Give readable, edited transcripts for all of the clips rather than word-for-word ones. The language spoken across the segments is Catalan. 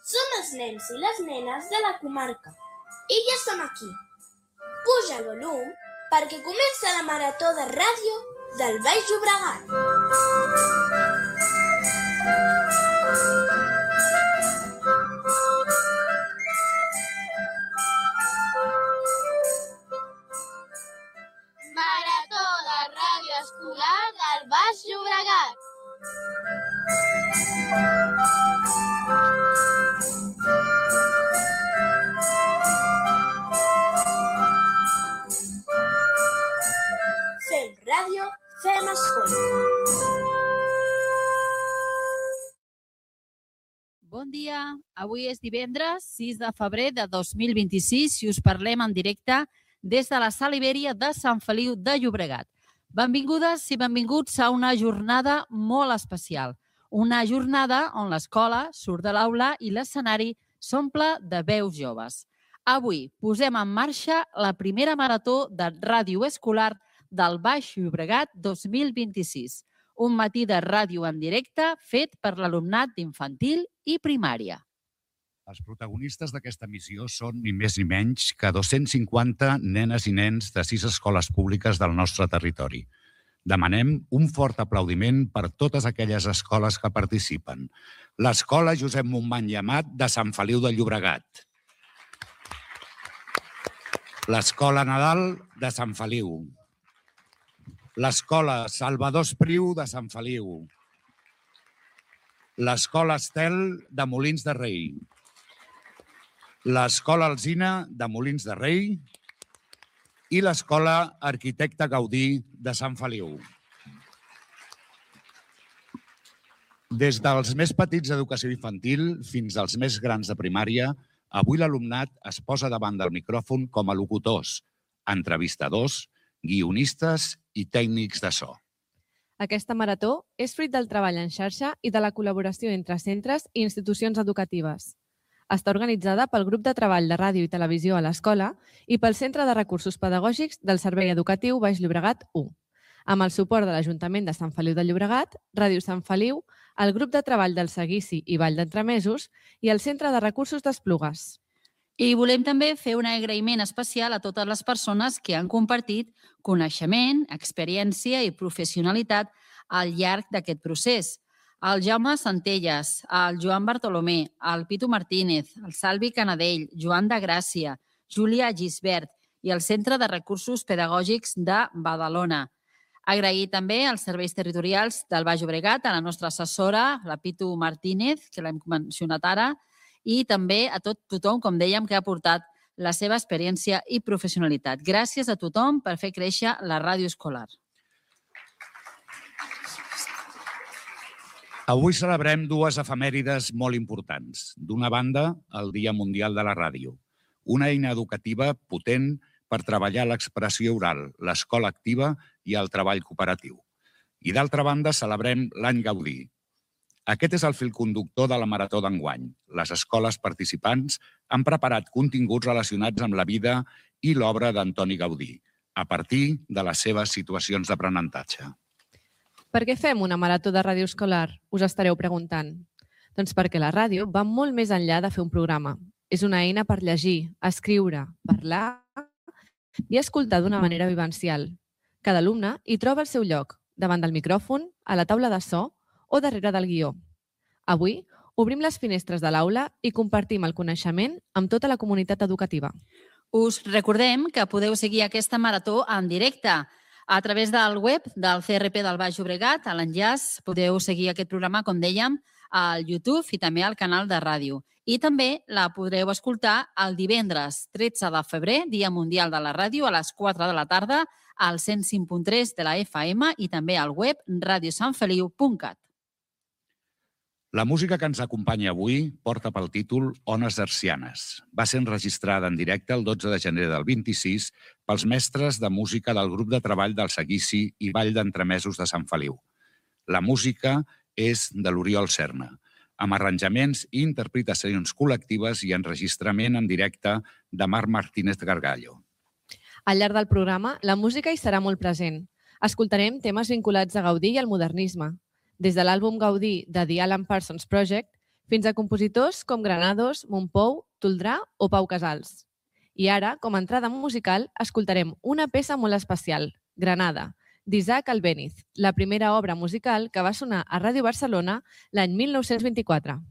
Som els nens i les nenes de la comarca i ja som aquí. Puja el volum perquè comença la marató de ràdio del Baix Llobregat. Marató de ràdio escolar del Baix Llobregat. Fem ràdio, fem escola. Bon dia, avui és divendres 6 de febrer de 2026 i us parlem en directe des de la Sala Ibèria de Sant Feliu de Llobregat. Benvingudes i benvinguts a una jornada molt especial. Una jornada on l'escola surt de l'aula i l'escenari s'omple de veus joves. Avui posem en marxa la primera marató de ràdio escolar del Baix Llobregat 2026. Un matí de ràdio en directe fet per l'alumnat d'infantil i primària. Els protagonistes d'aquesta missió són ni més ni menys que 250 nenes i nens de 6 escoles públiques del nostre territori. Demanem un fort aplaudiment per totes aquelles escoles que participen. L'Escola Josep Montmany i Amat de Sant Feliu de Llobregat. L'Escola Nadal de Sant Feliu. L'Escola Salvador Espriu de Sant Feliu. L'Escola Estel de Molins de Rei. L'Escola Alzina de Molins de Rei i l'Escola Arquitecte Gaudí de Sant Feliu. Des dels més petits d'educació infantil fins als més grans de primària, avui l'alumnat es posa davant del micròfon com a locutors, entrevistadors, guionistes i tècnics de so. Aquesta marató és fruit del treball en xarxa i de la col·laboració entre centres i institucions educatives. Està organitzada pel Grup de Treball de Ràdio i Televisió a l'Escola i pel Centre de Recursos Pedagògics del Servei Educatiu Baix Llobregat 1, amb el suport de l'Ajuntament de Sant Feliu de Llobregat, Ràdio Sant Feliu, el Grup de Treball del Seguici i Vall d'Entremesos i el Centre de Recursos d'Esplugues. I volem també fer un agraïment especial a totes les persones que han compartit coneixement, experiència i professionalitat al llarg d'aquest procés. El Jaume Centelles, el Joan Bartolomé, el Pitu Martínez, el Salvi Canadell, Joan de Gràcia, Júlia Gisbert i el Centre de Recursos Pedagògics de Badalona. Agrair també als serveis territorials del Baix Llobregat, a la nostra assessora, la Pitu Martínez, que l'hem mencionat ara, i també a tothom, com dèiem, que ha aportat la seva experiència i professionalitat. Gràcies a tothom per fer créixer la ràdio escolar. Avui celebrem dues efemèrides molt importants. D'una banda, el Dia Mundial de la Ràdio, una eina educativa potent per treballar l'expressió oral, l'escola activa i el treball cooperatiu. I d'altra banda, celebrem l'Any Gaudí. Aquest és el fil conductor de la marató d'enguany. Les escoles participants han preparat continguts relacionats amb la vida i l'obra d'Antoni Gaudí, a partir de les seves situacions d'aprenentatge. Per què fem una marató de ràdio escolar? Us estareu preguntant. Doncs perquè la ràdio va molt més enllà de fer un programa. És una eina per llegir, escriure, parlar i escoltar d'una manera vivencial. Cada alumne hi troba el seu lloc, davant del micròfon, a la taula de so o darrere del guió. Avui obrim les finestres de l'aula i compartim el coneixement amb tota la comunitat educativa. Us recordem que podeu seguir aquesta marató en directe a través del web del CRP del Baix Llobregat. A l'enllaç podeu seguir aquest programa, com dèiem, al YouTube i també al canal de ràdio. I també la podreu escoltar el divendres 13 de febrer, Dia Mundial de la Ràdio, a les 4 de la tarda, al 105.3 de la FM i també al web radiosantfeliu.cat. La música que ens acompanya avui porta pel títol Ones Hercianes. Va ser enregistrada en directe el 12 de gener del 26 pels mestres de música del grup de treball del Seguici i Vall d'Entremesos de Sant Feliu. La música és de l'Oriol Serna, amb arranjaments i interpretacions col·lectives i enregistrament en directe de Marc Martínez Gargallo. Al llarg del programa, la música hi serà molt present. Escoltarem temes vinculats a Gaudí i al modernisme. Des de l'àlbum Gaudí de The Alan Parsons Project, fins a compositors com Granados, Montpou, Toldrà o Pau Casals. I ara, com a entrada musical, escoltarem una peça molt especial, Granada, d'Isaac Albéniz, la primera obra musical que va sonar a Ràdio Barcelona l'any 1924.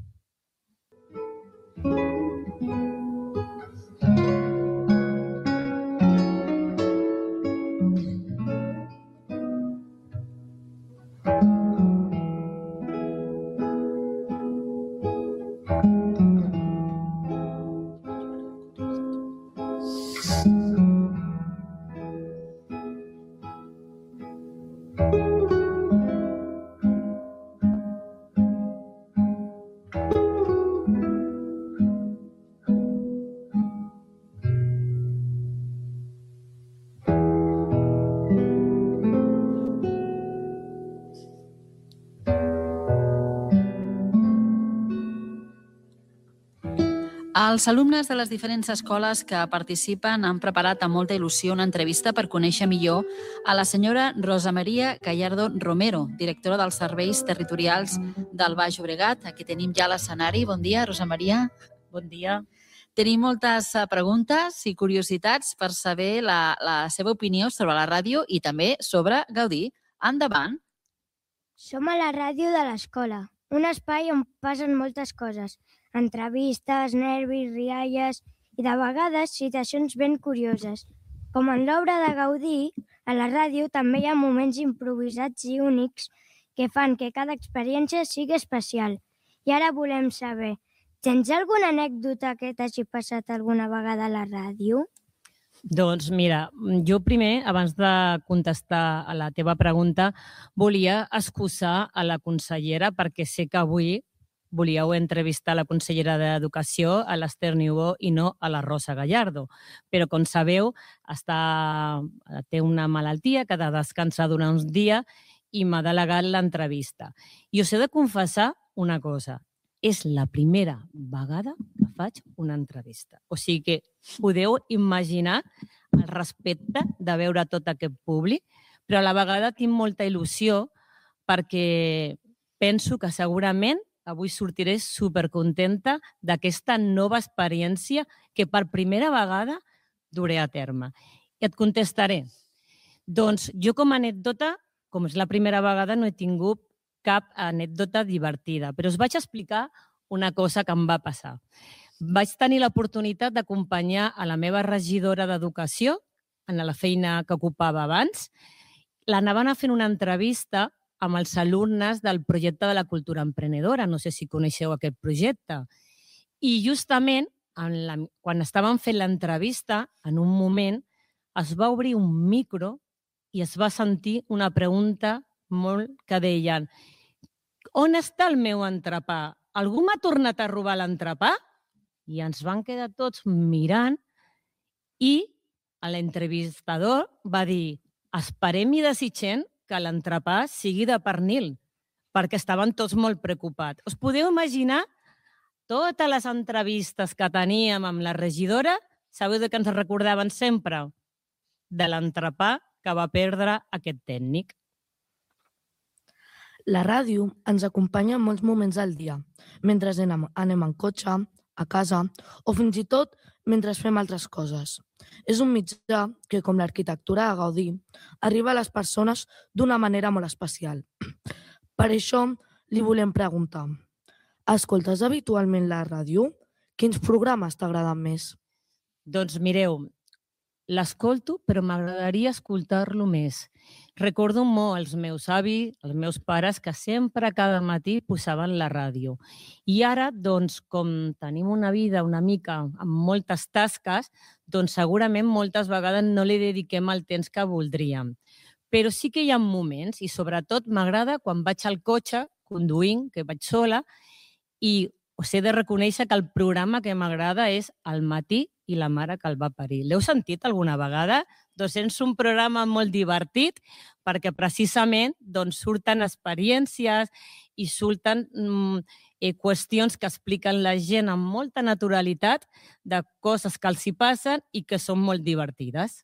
Els alumnes de les diferents escoles que participen han preparat amb molta il·lusió una entrevista per conèixer millor a la senyora Rosa Maria Gallardo Romero, directora dels Serveis Territorials del Baix Llobregat. Aquí tenim ja l'escenari. Bon dia, Rosa Maria. Bon dia. Tenim moltes preguntes i curiositats per saber la seva opinió sobre la ràdio i també sobre Gaudí. Endavant. Som a la ràdio de l'escola, un espai on passen moltes coses, entrevistes, nervis, rialles i de vegades situacions ben curioses. Com en l'obra de Gaudí, a la ràdio també hi ha moments improvisats i únics que fan que cada experiència sigui especial. I ara volem saber, tens alguna anècdota que t'hagi passat alguna vegada a la ràdio? Doncs mira, jo primer, abans de contestar a la teva pregunta, volia excusar a la consellera perquè sé que avui volíeu entrevistar la consellera d'Educació, a l'Ester Niubó, i no a la Rosa Gallardo. Però, com sabeu, té una malaltia que ha de descansar durant uns dies i m'ha delegat l'entrevista. I us he de confessar una cosa. És la primera vegada que faig una entrevista. O sigui que podeu imaginar el respecte de veure tot aquest públic, però a la vegada tinc molta il·lusió perquè penso que segurament avui sortiré supercontenta d'aquesta nova experiència que per primera vegada duré a terme. I et contestaré. Doncs jo com a anècdota, com és la primera vegada, no he tingut cap anècdota divertida, però us vaig explicar una cosa que em va passar. Vaig tenir l'oportunitat d'acompanyar a la meva regidora d'Educació en la feina que ocupava abans. L'anaven a fer una entrevista amb els alumnes del projecte de la cultura emprenedora. No sé si coneixeu aquest projecte. I justament, quan estaven fent l'entrevista, en un moment es va obrir un micro i es va sentir una pregunta molt que deien: on està el meu entrepà? Algú m'ha tornat a robar l'entrepà? I ens van quedar tots mirant i l'entrevistador va dir: esperem i desitgem que l'entrepà sigui de pernil, perquè estaven tots molt preocupats. Us podeu imaginar totes les entrevistes que teníem amb la regidora? Sabeu de què ens recordaven sempre? De l'entrepà que va perdre aquest tècnic. La ràdio ens acompanya en molts moments del dia, mentre anem en cotxe, a casa o fins i tot mentre fem altres coses. És un mitjà que, com l'arquitectura de Gaudí, arriba a les persones d'una manera molt especial. Per això li volem preguntar: escoltes habitualment la ràdio? Quins programes t'agraden més? Doncs mireu, l'escolto, però m'agradaria escoltar-lo més. Recordo molt els meus avis, els meus pares, que sempre cada matí posaven la ràdio. I ara, doncs, com tenim una vida una mica amb moltes tasques, doncs segurament moltes vegades no li dediquem el temps que voldríem. Però sí que hi ha moments, i sobretot m'agrada quan vaig al cotxe, conduint, que vaig sola, i us he de reconèixer que el programa que m'agrada és Al matí i la mare que el va parir. L'heu sentit alguna vegada? Doncs és un programa molt divertit perquè precisament surten experiències i surten qüestions que expliquen la gent amb molta naturalitat de coses que els hi passen i que són molt divertides.